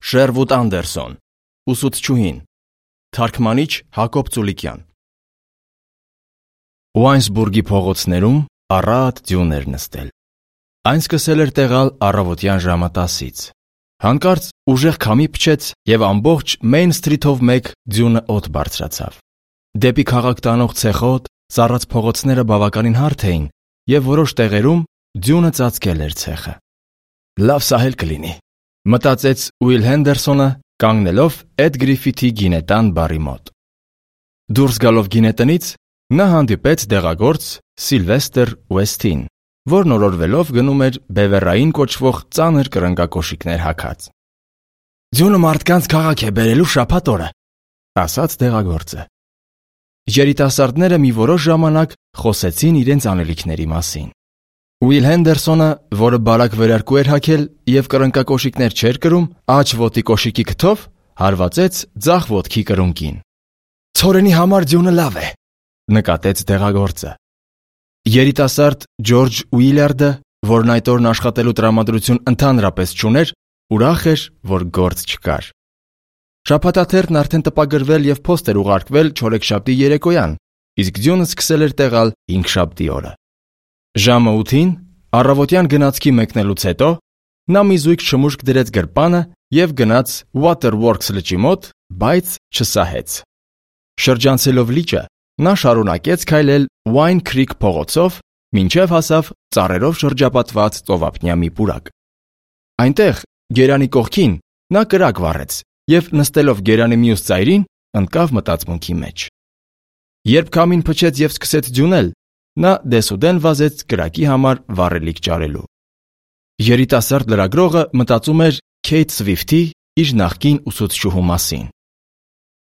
Շերվուդ Անդերսոն, ուսուցչուհին, թարգմանիչ Հակոբ Ծուլիկյան։ Ուայնսբուրգի փողոցներում առատ ձյուն էր նստել։ Այն սկսել էր տեղալ առավոտյան ժամը 10-ից։ Հանկարծ ուժեղ քամի փչեց և ամբողջ Մեյն Սթրիթով մեկ ձյունը օդ բարձրացավ։ Դեպի քաղաք տանող ցեխոտ, ծառած փողոցները բավականին հարթ էին և որոշ տեղերում ձյունը ծածկել էր ցեխը։ Լավ սահել կլինի, մտածեց Ուիլ Հենդերսոնը, կանգնելով Էդ Գրիֆիթի գինետան բարի մոտ։ Դուրս գալով գինետնից նա հանդիպեց դեղագործ Սիլվեստր Ուեսթին, որն օրորվելով գնում էր բևեռային կոչվող ծանր կրնկակոշիկներ հագած։ «Ձյունը մարդկանց քաղաք է բերելու շաբաթ օրը», ասաց դեղագործը։ Երիտասարդները մի որոշ ժամանակ խոսեցին իրենց անելիքների մասին։ Ուիլ Հենդերսոնը, որը բարակ վերարկու էր հագել և կրնկակոշիկներ չէր կրում, աջ ոտի կոշիկի քթով հարվածեց ձախ ոտքի կրունկին։ «Ցորենի համար ձյունը լավ է», նկատեց դեղագործը։ Երիտասարդ Ջորջ Ուիլյարդը, որն այդ օրն աշխատելու տրամադրություն ընդհանրապես չուներ, ուրախ էր, որ գործ չկար։ Շաբաթաթերթն արդեն տպագրվել և փոստ էր ուղարկվել չորեքշաբթի երեկոյան, իսկ ձյունը սկսել էր տեղալ հինգշաբթի օրը։ Ժամը 8-ին, առավոտյան գնացքի մեկնելուց հետո, նա մի զույգ շմուշկ դրեց գրպանը և գնաց Waterworks լճի մոտ, բայց չսահեց։ Շրջանցելով լիճը, նա շարունակեց քայլել Wine Creek փողոցով, մինչև հասավ ծառերով շրջապատված ծովափնյա մի պուրակ։ Այնտեղ, գերանի կողքին, նա կրակ վառեց և նստելով գերանի մյուս ծայրին, ընկավ մտածմունքի մեջ։ Երբ քամին փչեց և սկսեց ձյունել, նա դեսուդեն վազեց կրակի համար վառելիք ճարելու։ Երիտասարդ լրագրողը մտածում էր Քեյթ Սվիֆթի, իր նախկին ուսուցչուհու մասին։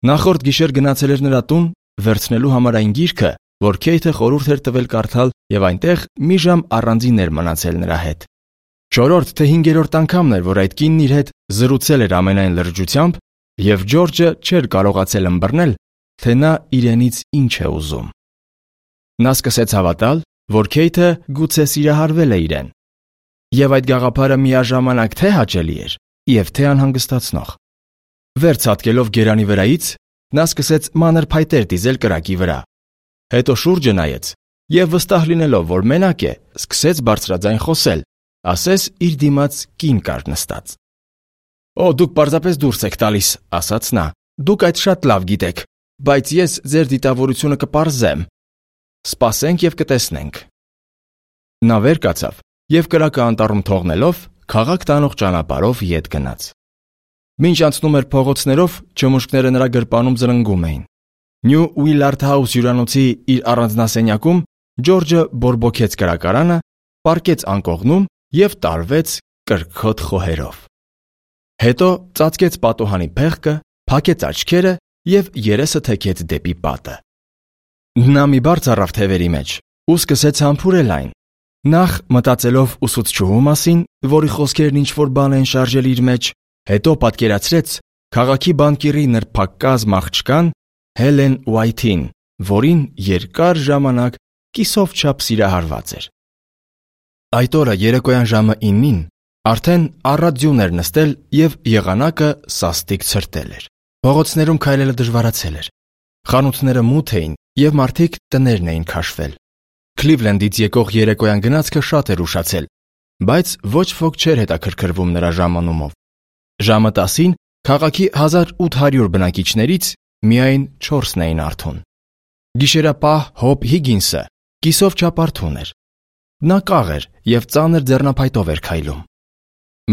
Նախորդ գիշեր գնացել էր նրա տուն վերցնելու համար այն գիրքը, որ Քեյթը խորհուրդ էր տվել կարդալ, և այնտեղ մի ժամ առանձին էր մնացել նրա հետ։ 4-րդ թե 5-րդ անգամն էր, որ այդ կինն իր հետ զրուցել էր ամենայն լրջությամբ, և Ջորջը չէր կարողացել ըմբռնել, թե նա իրենից ինչ է ուզում։ Նա սկսեց հավատալ, որ Քեյթը գուցե սիրահարվել է իրեն, և այդ գաղափարը միաժամանակ թե հաճելի էր և թե անհանգստացնող։ Վեր ցատկելով գերանի վրայից, նա սկսեց մանր փայտեր դիզել կրակի վրա։ Հետո շուրջը նայեց և վստահ լինելով, որ մենակ է, սկսեց բարձրաձայն խոսել, ասես իր դիմաց կին կար նստած։ «Օ, դուք պարզապես դուրս եք տալիս», ասաց նա, «դուք այդ շատ լավ գիտեք, բայց ես ձեր դիտավորությունը կպարզեմ։ Սպասենք և կտեսնենք»։ Նա վեր կացավ և կրակը անտառում թողնելով, քաղաք տանող ճանապարհով ետ գնաց։ Մինչ անցնում էր փողոցներով, չմուշկները նրա գրպանում զրնգում էին։ Նյու Ուիլարդ Հաուս հյուրանոցի իր առանձնասենյակում Ջորջը բորբոքեց կրակարանը, պառկեց անկողնում և տարվեց կրքոտ խոհերով։ Հետո ծածկեց պատուհանի փեղկը, փակեց աչքերը և երեսը թեքեց դեպի պատը։ Նա մի բարձ առավ թևերի մեջ ու սկսեց համբուրել այն։ Նախ մտածելով ուսուցչուհու մասին, որի խոսքերն ինչ-որ բան են շարժել իր մեջ, հետո պատկերացրեց քաղաքի բանկիրի նրբակազմ աղջկան Հելեն Ուայթին, որին երկար ժամանակ կիսով չափ սիրահարված էր։ Այդ օրը երեկոյան ժամը 9-ին արդեն առատ ձյուն էր նստել և եղանակը սաստիկ ցրտել էր։ Փողոցներում քայլելը դժվարացել էր։ Խանութները մութ էին և մարդիկ տներն էին քաշվել։ Քլիվլենդից եկող երեկոյան գնացքը շատ էր ուշացել, բայց ոչ ոք չէր հետաքրքրվում նրա ժամանումով։ Ժամը 10-ին քաղաքի 1800 բնակիչներից միայն 4-ն էին արթուն։ Գիշերապահ Հոբ Հիգինսը կիսով չափ արթուն էր։ Նա կաղ էր և ծանր ձեռնափայտով էր քայլում։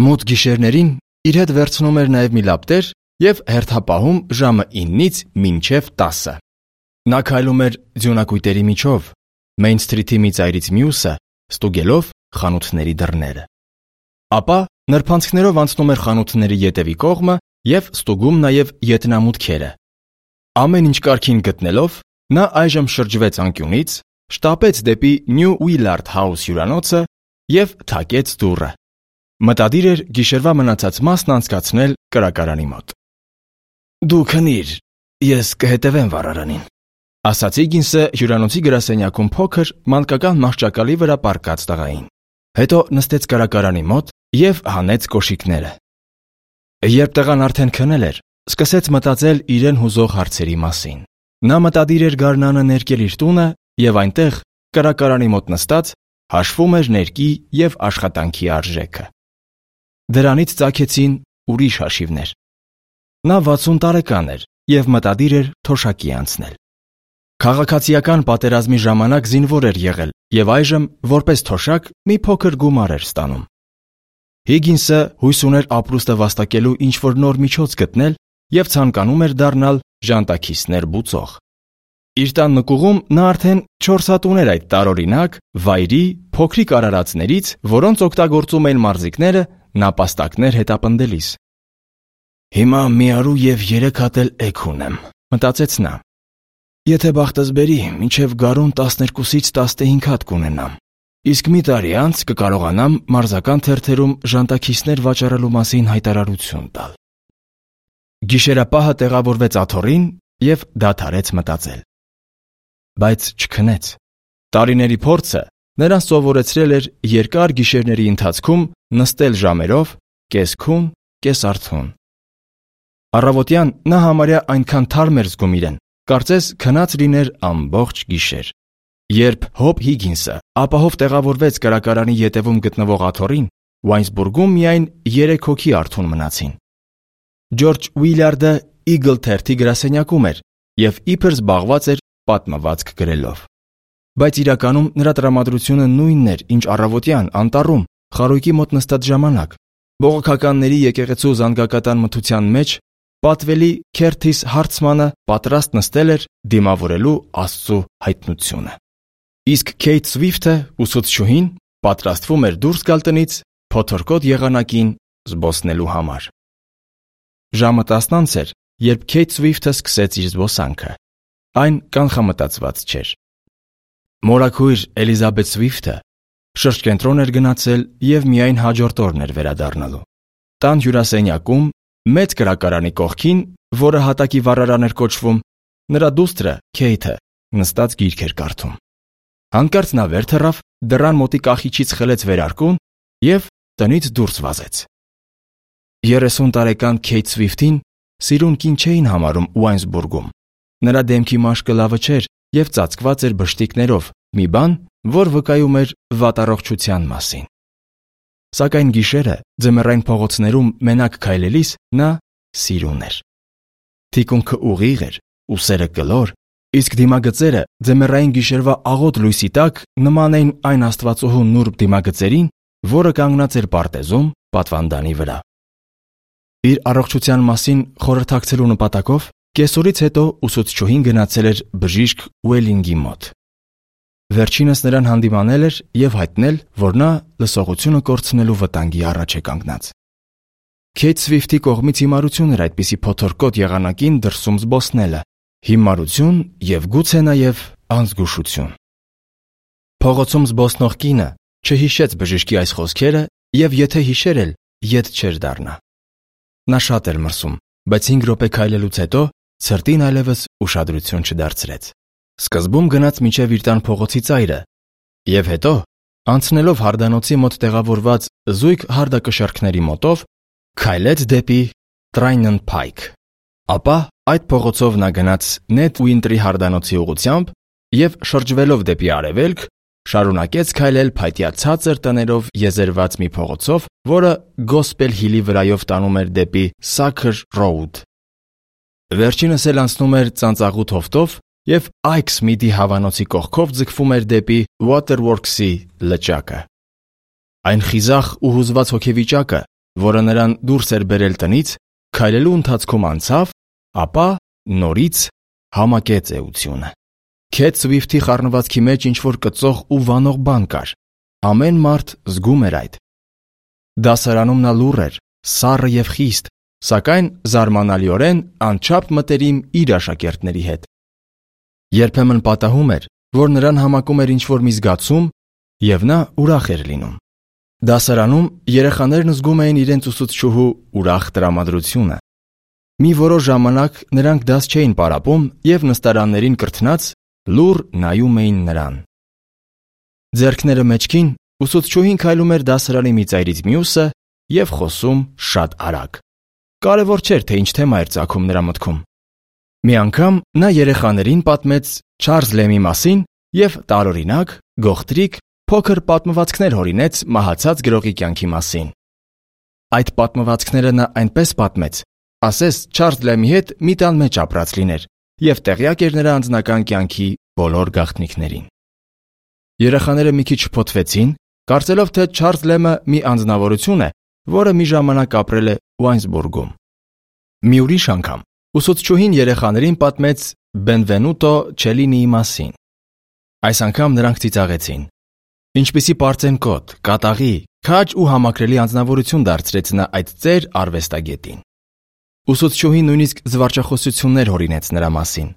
Մութ գիշերներին իր հետ վերցնում էր նաև մի լապտեր և հերթապահում ժամը 9-ից մինչև 10-ը։ Նա քայլում էր ձյունակույտերի միջով, Մեյն Սթրիթի մի ծայրից մյուսը, ստուգելով խանութների դռները։ Ապա նրբանցքներով անցնում էր խանութների ետևի կողմը և ստուգում նաև ետնամուտքերը։ Ամեն ինչ կարգին գտնելով, նա այժմ շրջվեց անկյունից, շտապեց դեպի Նյու Ուիլարդ Հաուս հյուրանոցը և թակեց դուռը։ Մտադիր էր գիշերվա մնացած մասն անցկացնել կրակարանի մոտ։ «Դու քնիր, ես կհետևեմ վառարանին», ասաց Հիգինսը հյուրանոցի գրասենյակում փոքր մանկական մահճակալի վրա պառկած տղային։ Հետո նստեց կրակարանի մոտ և հանեց կոշիկները։ Երբ տղան արդեն քնել էր, սկսեց մտածել իրեն հուզող հարցերի մասին։ Նա մտադիր էր գարնանը ներկել իր տունը եւ այնտեղ, կրակարանի մոտ նստած, հաշվում էր ներկի եւ աշխատանքի արժեքը։ Դրանից ծագեցին ուրիշ հաշիվներ։ Նա 60 տարեկան էր եւ մտադիր էր թոշակի անցնել։ Քաղաքացիական պատերազմի ժամանակ զինվոր էր եղել եւ այժմ որպես թոշակ մի փոքր գումար էր ստանում։ Հիգինսը հույս ուներ ապրուստը վաստակելու ինչ-որ նոր միջոց գտնել եւ ցանկանում էր դառնալ ժանտաքիստներ բուծող։ Իր տան նկուղում նա արդեն 4 հատ ուներ այդ տարօրինակ վայրի փոքրիկ արարածներից, որոնց օգտագործում էին մարզիկները նապաստակներ հետապնդելիս։ Հիմա մի արու եւ 3 հատ էլ էգ ունեմ, մտածեց նա։ Եթե բախտս բերի, մինչև գարուն 12-ից 15 հատ կունենամ։ Իսկ մի տարի անց կկարողանամ մարզական թերթերում ժանտաքիստներ վաճառելու մասին հայտարարություն տալ։ Գիշերապահը տեղավորվեց աթոռին եւ դադարեց մտածել։ Բայց չքնեց։ Տարիների փորձը նրան սովորեցրել էր երկար գիշերների ընթացքում նստել ժամերով, կես քուն, կես արթուն։ Առավոտյան նա համարյա այնքան թարմ էր զգում իրեն, կարծես քնած լիներ ամբողջ գիշեր։ Երբ Հոբ Հիգինսը ապահով տեղավորվեց կրակարանի ետևում գտնվող աթոռին, Ուայնսբուրգում միայն 3 հոգի արթուն մնացին։ Ջորջ Ուիլյարդը Eagle թերթի գրասենյակում էր եւ իբր զբաղված էր պատմվածք գրելով։ Բայց իրականում նրա տրամադրությունը նույնն էր, ինչ առավոտյան անտառում խարույկի մոտ նստած ժամանակ։ Բողոքականների եկեղեցու զանգակատան մթության մեջ պատվելի Քերթիս Հարցմանը պատրաստ նստել էր դիմավորելու Աստծո հայտնությունը։ Իսկ Քեյթ Սվիֆթը ուսուցչուհին պատրաստվում էր դուրս գալ տնից փոթորկոտ եղանակին զբոսնելու համար։ Ժամը 10 էր, երբ Քեյթ Սվիֆթը սկսեց իր զբոսանքը։ Այն կանխամտածված չէր։ Մորաքույր Էլիզաբեթ Սվիֆթը շրջկենտրոն էր գնացել եւ միայն հաջորդ օրն էր վերադառնալու։ Տան հյուրասենյակում մեծ կրակարանի կողքին, որը հատակի վառարան էր կոչվում, նրա դուստրը Քեյթը նստած գիրք էր կարդում։ Հանկարծ նա վեր թռավ, դռան մոտի կախիչից խլեց վերարկուն եւ տնից դուրս վազեց։ 30 տարեկան Քեյթ Սվիֆթին սիրուն կին չէին համարում Ուայնսբուրգում։ Նրա դեմքի մաշկը լավը չէր եւ ծածկված էր բշտիկներով, մի բան, որ վկայում էր վատառողջության մասին։ Սակայն գիշերը ձմեռային փողոցներում մենակ քայլելիս նա սիրուն էր։ Թիկունքը ուղիղ էր, ուսերը կլոր, իսկ դիմագծերը ձմեռային գիշերվա աղոտ լույսի տակ նման էին այն աստվածուհու նուրբ դիմագծերին, որը կանգնած էր պարտեզում պատվանդանի վրա։ Իր առողջության մասին խորհրդակցելու նպատակով կեսօրից հետո ուսուցչուհին գնացել էր բժիշկ Ուելինգի մոտ։ Վերջինս նրան հանդիմանել էր եւ հայտնել, որ նա լսողությունը կորցնելու վտանգի առաջ է կանգնած։ Քեյթ Սվիֆթի կողմից հիմարություն էր այդպիսի փոթորկոտ եղանակին դրսում զբոսնելը, հիմարություն եւ գուցե նաեւ անզգուշություն։ Փողոցում զբոսնող կինը չհիշեց բժշկի այս խոսքերը եւ եթե հիշեր էլ, ետ չէր դառնա։ Նա շատ էր մրսում, բայց 5 րոպե քայլելուց հետո ցրտին այլևս ուշադրություն չդարձրեց։ Սկզբում գնաց մինչև իր տան փողոցի ծայրը եւ հետո, անցնելով հարդանոցի մոտ տեղավորված զույգ հարդակշարքների մոտով, քայլեց դեպի Տրայնն Փայք։ Ապա այդ փողոցով նա գնաց Նեթ Ուինտրի հարդանոցի ուղղությամբ եւ շրջվելով դեպի արևելք, շարունակեց քայլել փայտյա ցածր տներով եզերված մի փողոցով, որը Գոսպել Հիլի վրայով տանում էր դեպի Սաքր Ռոուդ։ Վերջինս էլ անցնում էր ծանծաղուտ հովտով եւ Այքս Միդի հավանոցի կողքով ձգվում էր դեպի Waterworks-ի լճակը։ Այն խիզախ ու հուզված հոգեվիճակը, որը նրան դուրս էր բերել տնից, քայլելու ընթացքում անցավ, ապա նորից համակեց էությունը։ Քեյթ Սվիֆթի խառնվածքի մեջ ինչ-որ կծող ու վանող բան կար։ Ամեն մարդ զգում էր այդ։ Դասարանում նա լուռ էր, սառը եւ խիստ, սակայն զարմանալիորեն անչափ մտերիմ իր աշակերտների հետ։ Երբեմն պատահում էր, որ նրան համակում էր ինչ-որ մի զգացում, եւ նա ուրախ էր լինում։ Դասարանում երեխաներն զգում էին իրենց ուսուցչուհու ուրախ տրամադրությունը։ Մի որոշ ժամանակ նրանք դաս չէին պարապում եւ նստարաններին կրթնած լուռ նայում էին նրան։ Ձեռքները մեջքին ուսուցչուհին քայլում էր դասարանի մի ծայրից մյուսը եւ խոսում շատ արագ։ կարևոր չէր, թե ինչ թեմա էր ծագում նրա մտքում։ Մի անգամ նա երեխաներին պատմեց Չարլզ Լեմի մասին և տարօրինակ, գողտրիկ, փոքր պատմվածքներ հորինեց մահացած գրողի կյանքի մասին։ Այդ պատմվածքները նա այնպես պատմեց, ասես Չարլզ Լեմի հետ մի տան մեջ ապրած լիներ և տեղյակ էր նրա անձնական կյանքի բոլոր գաղտնիքներին։ Երեխաները մի քիչ շփոթվեցին, կարծելով, թե Չարլզ Լեմը մի անձնավորություն է, որը մի ժամանակ ապրել է Ուայնսբուրգում։ Մի ուրիշ անգամ ուսուցչուհին երեխաներին պատմեց Բենվենուտո Չելինիի մասին։ Այս անգամ նրանք ծիծաղեցին։ Ինչպիսի պարծենկոտ, կատաղի, քաջ ու համակրելի անձնավորություն դարձրեց նա այդ ծեր արվեստագետին։ Ուսուցչուհին նույնիսկ զվարճախոսություններ հորինեց նրա մասին։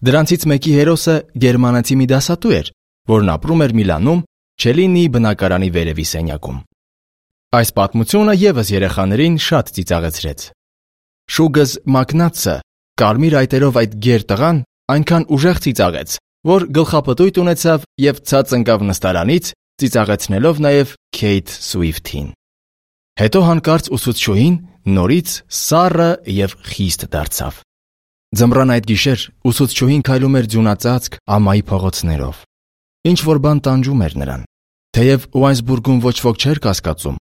Դրանցից մեկի հերոսը գերմանացի մի դասատու էր, որն ապրում էր Միլանում Չելինիի բնակարանի վերևի սենյակում։ Այս պատմությունը ևս երեխաներին շատ ծիծաղեցրեց։ Շուգզ Մակնացը, կարմիր այտերով այդ գեր տղան, այնքան ուժեղ ծիծաղեց, որ գլխապտույտ ունեցավ և ցած ընկավ նստարանից, ծիծաղեցնելով նաև Քեյթ Սուիֆթին։ Հետո հանկարծ ուսուցչուհին նորից սառը և խիստ դարձավ։ Ձմռան այդ գիշեր ուսուցչուհին քայլում էր ձյունածածկ ամայի փողոցներով։ Ինչ-որ բան տանջում էր նրան։ Թեև Ուայնսբուրգում ոչ ոք չէր կասկածում,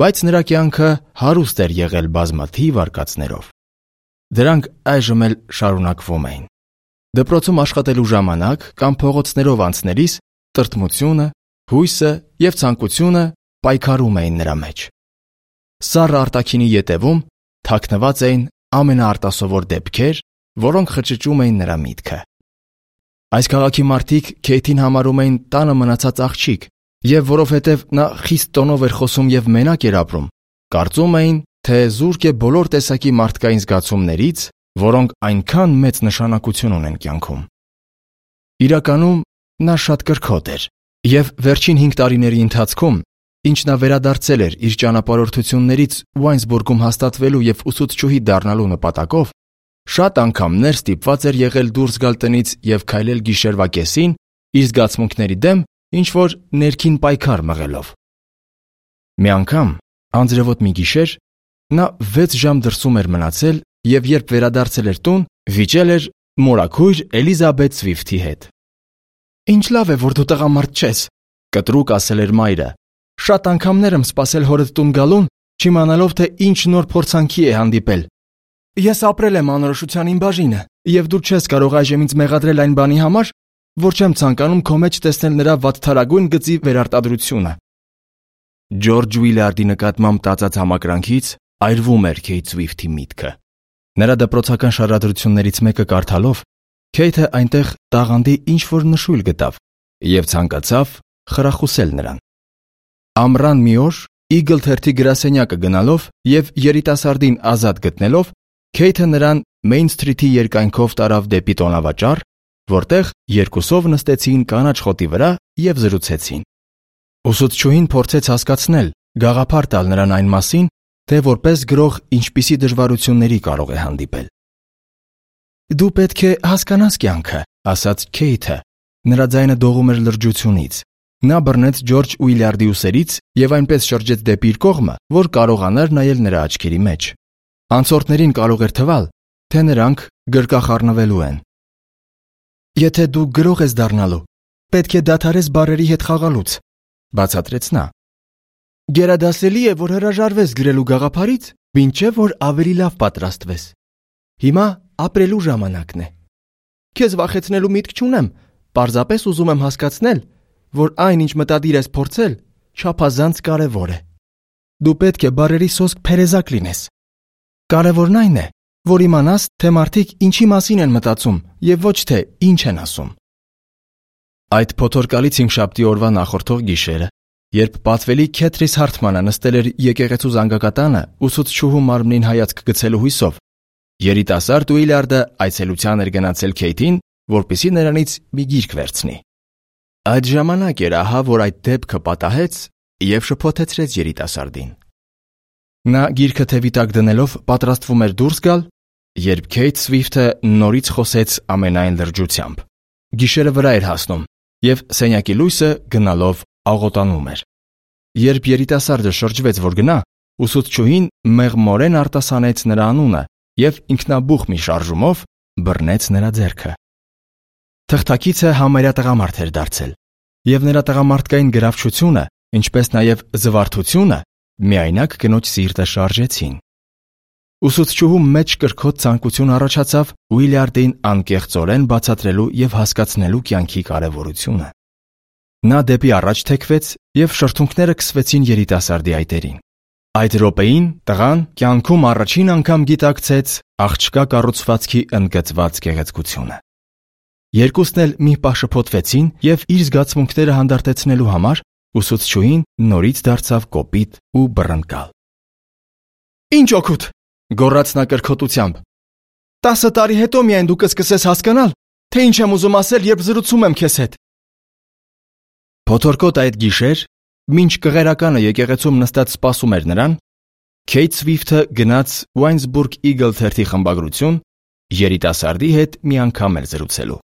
բայց նրա կյանքը հարուստ էր եղել բազմաթիվ արկածներով։ Դրանք այժմ էլ շարունակվում էին։ Դպրոցում աշխատելու ժամանակ կամ փողոցներով անցնելիս տրտմությունը, հույսը և ցանկությունը պայքարում էին նրա մեջ։ Սառը արտաքինի ետևում թաքնված էին ամենաարտասովոր դեպքեր, որոնք խճճում էին նրա միտքը։ Այս քաղաքի մարդիկ Քեյթին համարում էին տանը մնացած աղջիկ, և որովհետև նա խիստ տոնով էր խոսում և մենակ էր ապրում, կարծում էին, թե զուրկ է բոլոր տեսակի մարդկային զգացումներից, որոնք այնքան մեծ նշանակություն ունեն կյանքում։ Իրականում նա շատ կրքոտ էր, և վերջին 5 տարիների ընթացքում, ինչ նա վերադարձել էր իր ճանապարհորդություններից Ուայնսբուրգում հաստատվելու և ուսուցչուհի դառնալու նպատակով, շատ անգամներ ստիպված էր եղել դուրս գալ տնից և քայլել գիշերվա կեսին իր զգացմունքների դեմ ինչ-որ ներքին պայքար մղելով։ Մի անգամ, անձրևոտ մի գիշեր, նա 6 ժամ դրսում էր մնացել և երբ վերադարձել էր տուն, վիճել էր մորաքույր Էլիզաբեթ Սվիֆթի հետ։ «Ինչ լավ է, որ դու տղամարդ չես», կտրուկ ասել էր մայրը։ «Շատ անգամներ եմ սպասել հորդ տուն գալուն, չիմանալով, թե ինչ նոր փորձանքի է հանդիպել։ Ես ապրել եմ անորոշության իմ բաժինը, և դու չես կարող այժմ ինձ մեղադրել այն բանի համար, որ չեմ ցանկանում քո մեջ տեսնել նրա վատթարագույն գծի վերարտադրությունը»։ Ջորջ Ուիլյարդի նկատմամբ տածած համակրանքից այրվում էր Քեյթ Սվիֆթի միտքը։ Նրա դպրոցական շարադրություններից մեկը կարդալով, Քեյթը այնտեղ տաղանդի ինչ-որ նշույլ գտավ և ցանկացավ խրախուսել նրան։ Ամռան մի օր Eagle թերթի գրասենյակը գնալով և երիտասարդին ազատ գտնելով, Քեյթը նրան Մեյն Սթրիթի երկայնքով տարավ դեպի տոնավաճառ, որտեղ երկուսով նստեցին կանաչ խոտի վրա և զրուցեցին։ Ուսուցչուհին փորձեց հասկացնել, գաղափար տալ նրան այն մասին, թե որպես գրող ինչպիսի դժվարությունների կարող է հանդիպել։ «Դու պետք է հասկանաս կյանքը», ասաց Քեյթը։ Նրա ձայնը դողում էր լրջությունից։ Նա բռնեց Ջորջ Ուիլյարդի ուսերից և այնպես շրջեց դեպի իր կողմը, որ կարողանար նայել նրա աչքերի մեջ։ Անցորդներին կարող էր թվալ, թե նրանք գրկախառնվելու են։ «Եթե դու գրող ես դառնալու, պետք է դադարես բառերի հետ խաղալուց», բացատրեց նա։ «Գերադասելի է, որ հրաժարվես գրելու գաղափարից, մինչև որ ավելի լավ պատրաստվես։ Հիմա ապրելու ժամանակն է։ Քեզ վախեցնելու միտք չունեմ, պարզապես ուզում եմ հասկացնել, որ այն, ինչ մտադիր ես փորձել, չափազանց կարևոր է։ Դու պետք է բառերի սոսկ փերեզակ լինես։ Կարևորն այն է, որ իմանաս, թե մարդիկ ինչի մասին են մտածում և ոչ թե ինչ են ասում»։ Այդ փոթորկալից հինգշաբթի օրվա նախորդող գիշերը, երբ պատվելի Քեթրիս Հարթմանը նստել էր եկեղեցու զանգակատանը ուսուցչուհու մարմնին հայացք գցելու հույսով, երիտասարդ Ուիլյարդը այցելության էր գնացել Քեյթին, որպեսզի նրանից մի գիրք վերցնի։ Այդ ժամանակ էր ահա, որ այդ դեպքը պատահեց և շփոթեցրեց երիտասարդին։ Նա գիրքը թևի տակ դնելով պատրաստվում էր դուրս գալ, երբ Քեյթ Սվիֆթը նորից խոսեց ամենայն լրջությամբ։ Գիշերը վրա էր հասնում, և սենյակի լույսը գնալով աղոտանում էր։ Երբ երիտասարդը շրջվեց, որ գնա, ուսուցչուհին մեղմորեն արտասանեց նրա անունը և ինքնաբուխ մի շարժումով բռնեց նրա ձեռքը։ Թղթակիցը համարյա տղամարդ էր դարձել, և նրա տղամարդկային գրավչությունը, ինչպես նաև զվարթությունը միայնակ կնոջ սիրտը շարժեցին։ Ուսուցչուհու մեջ կրքոտ ցանկություն առաջացավ Ուիլյարդին անկեղծորեն բացատրելու և հասկացնելու կյանքի կարևորությունը։ Նա դեպի առաջ թեքվեց և շրթունքները քսվեցին երիտասարդի այտերին։ Այդ րոպեին տղան կյանքում առաջին անգամ գիտակցեց աղջկա կառուցվածքի ընդգծված գեղեցկությունը։ Երկուսն էլ մի պահ շփոթվեցին և իր զգացմունքները հանդարտեցնելու համար ուսուցչուհին նորից դարձավ կոպիտ ու բռնկալ։ «Ինչ օգուտ», գոռաց նա կրքոտությամբ։ 10 տարի հետո միայն դու կսկսես հասկանալ, թե ինչ եմ ուզում ասել, երբ զրուցում եմ քեզ հետ։ Փոթորկոտ այդ գիշեր, մինչ կղերականը եկեղեցում նստած սպասում էր նրան, Քեյթ Սվիֆթը գնաց Winesburg Eagle թերթի խմբագրություն երիտասարդի հետ մի անգամ էր զրուցելու։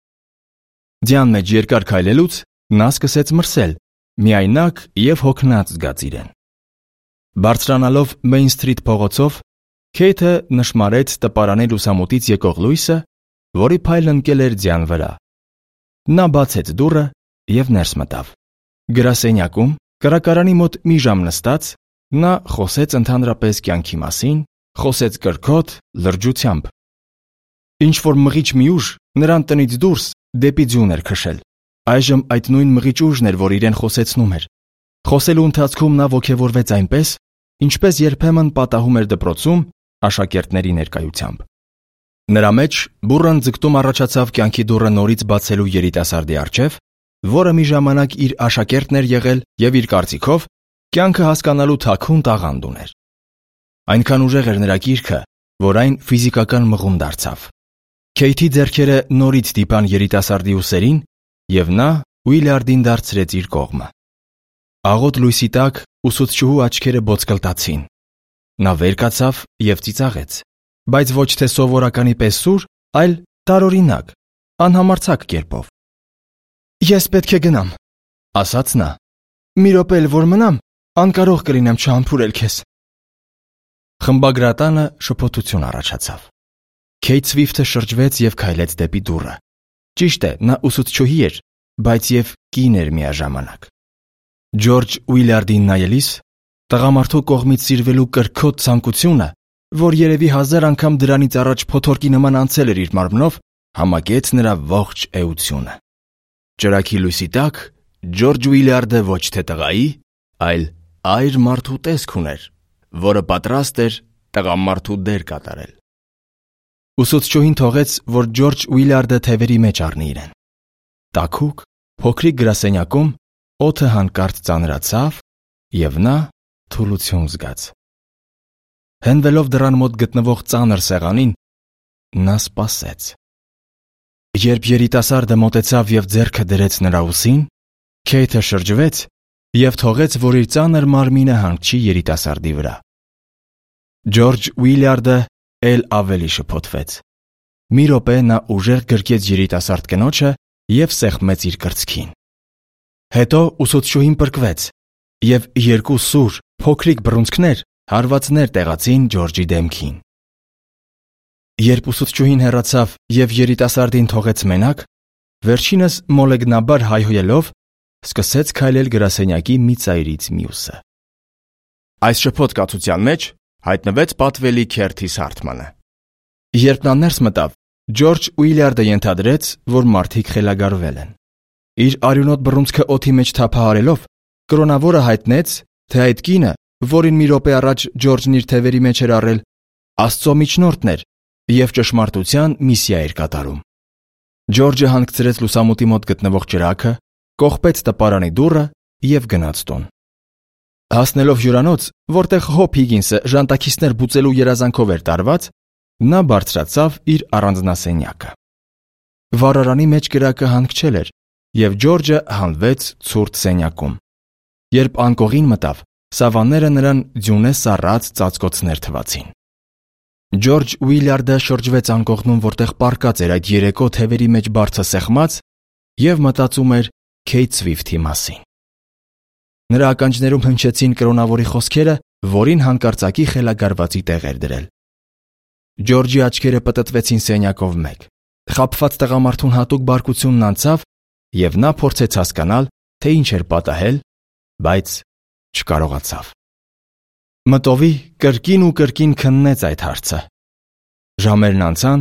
Ձյան մեջ երկար քայլելուց նա սկսեց մրսել, միայնակ և հոգնած զգաց իրեն։ Բարձրանալով Main Street փողոցով, Քեյթը նշմարեց տպարանի լուսամուտից եկող լույսը, որի փայլն ընկել էր ձյան վրա։ Նա բացեց դուռը և ներս մտավ։ Գրասենյակում, կրակարանի մոտ մի ժամ նստած, նա խոսեց ընդհանրապես կյանքի մասին, խոսեց կրքոտ, լրջությամբ։ Ինչ-որ մղիչ մի ուժ նրան տնից դուրս դեպի ձյուն էր քշել։ Այժմ այդ նույն մղիչ ուժն էր, որ իրեն խոսեցնում էր։ Խոսելու ընթացքում նա ոգևորվեց այնպես, ինչպես երբեմն պատահում էր դպրոցում աշակերտների ներկայությամբ։ Նրա մեջ բուռն ձգտում առաջացավ կյանքի դուռը նորից բացելու երիտասարդի առջև, որը մի ժամանակ իր աշակերտն էր եղել և իր կարծիքով կյանքը հասկանալու թաքուն տաղանդ ուներ։ Այնքան ուժեղ էր նրա կիրքը, որ այն ֆիզիկական մղում դարձավ։ Քեյթի ձեռքերը նորից դիպան երիտասարդի ուսերին, և նա Ուիլյարդին դարձրեց իր կողմը։ Աղոտ լույսի տակ ուսուցչուհու աչքերը բոցկլտացին։ Նա վեր կացավ և ծիծաղեց, բայց ոչ թե սովորականի պես սուր, այլ տարօրինակ, անհամարձակ կերպով։ «Ես պետք է գնամ», ասաց նա։ «Մի րոպե էլ որ մնամ, անկարող կլինեմ չհամբուրել քեզ»։ Խմբագրատանը շփոթություն առաջացավ։ Քեյթ Սվիֆթը շրջվեց և քայլեց դեպի դուռը։ Ճիշտ է, նա ուսուցչուհի էր, բայց և կին էր միաժամանակ։ Ջորջ Ուիլյարդին նայելիս, տղամարդու կողմից սիրվելու կրքոտ ցանկությունը, որ երևի 1000 անգամ դրանից առաջ փոթորկի նման անցել էր իր մարմնով, համակեց նրա ողջ էությունը։ Ճրագի լույսի տակ Ջորջ Ուիլյարդը ոչ թե տղայի, այլ այր մարդու տեսք ուներ, որը պատրաստ էր տղամարդու դեր կատարել։ Ուսուցչուհին թողեց, որ Ջորջ Ուիլյարդը թևերի մեջ առնի իրեն։ Տաքուկ, փոքրիկ գրասենյակում օդը հանկարծ ծանրացավ, և նա թուլություն զգաց։ Հենվելով դռան մոտ գտնվող ծանր սեղանին, նա սպասեց։ Երբ երիտասարդը մոտեցավ և ձեռքը դրեց նրա ուսին, Քեյթը շրջվեց և թողեց, որ իր ծանր մարմինը հանգչի երիտասարդի վրա։ Ջորջ Ուիլյարդը էլ ավելի շփոթվեց։ Մի րոպե նա ուժեղ գրկեց երիտասարդ կնոջը և սեղմեց իր կրծքին։ Հետո ուսուցչուհին պրկվեց, և երկու սուր, փոքրիկ բռունցքներ հարվածներ տեղացին Ջորջի դեմքին։ Երբ ուսուցչուհին հեռացավ և երիտասարդին թողեց մենակ, վերջինս մոլեգնաբար հայհոյելով սկսեց քայլել գրասենյակի մի ծայրից մյուսը։ Այս շփոթ-կացության մեջ հայտնվեց պատվելի Քերթիս Հարթմանը։ Երբ նա ներս մտավ, Ջորջ Ուիլյարդը ենթադրեց, որ մարդիկ խելագարվել են։ Իր արյունոտ բռունցքը օդի մեջ թափահարելով, կրոնավորը հայտնեց, թե այդ կինը, որին մի րոպե առաջ Ջորջն իր թևերի մեջ էր առել, Աստծո միջնորդն էր և ճշմարտության միսիա էր կատարում։ Ջորջը հանգցրեց լուսամուտի մոտ գտնվող ճրագը, կողպեց տպարանի դուռը և գնաց տուն։ Հասնելով հյուրանոց, որտեղ Հոփ Հիգինսը ժանտաքիսներ բուծելու երազանքով էր տարված, նա բարձրացավ իր առանձնասենյակը։ Վառարանի մեջ կրակը հանգչել էր, և Ջորջը հանվեց ցուրտ սենյակում։ Երբ անկողին մտավ, սավանները նրան ձյունե սառած ծածկոցներ թվացին։ Ջորջ Ուիլյարդը շրջվեց անկողնում, որտեղ պառկած էր այդ երեկո թևերի մեջ բարձը սեղմած, և մտածում էր Քեյթ Սվիֆթի մասին։ Նրա ականջներում հնչեցին կրոնավորի խոսքերը, որին հանկարծակի խելագարվածի տեղ էր դրել։ Ջորջի աչքերը պտտվեցին սենյակով մեկ։ Խաբված տղամարդուն հատուկ բարկությունն անցավ, և նա փորձեց հասկանալ, թե ինչ էր պատահել, բայց չկարողացավ։ Մտովի կրկին ու կրկին քննեց այդ հարցը։ Ժամերն անցան,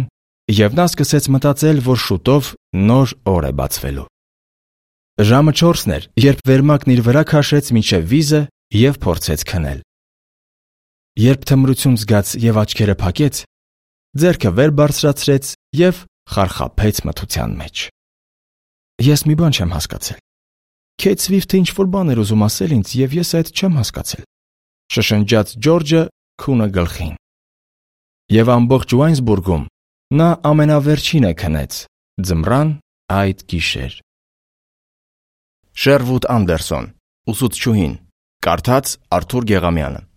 և նա սկսեց մտածել, որ շուտով նոր օր է բացվելու։ Ժամը 4-ն էր, երբ վերմակն իր վրա քաշեց մինչև վիզը և փորձեց քնել։ Երբ թմրություն զգաց և աչքերը փակեց, ձեռքը վեր բարձրացրեց և խարխափեց մթության մեջ։ Ես մի բան չեմ հասկացել։ Քեյթ Սվիֆթը ինչ-որ բան էր ուզում ասել ինձ, և ես այդ չեմ հասկացել, շշնջաց Ջորջը քունը գլխին։ Եվ ամբողջ Ուայնզբուրգում նա ամենավերջինը քնեց ձմռան այդ գիշեր։ Շերվուդ Անդերսոն, ուսուցչուհին, կարդաց Արթուր Գեղամյանը։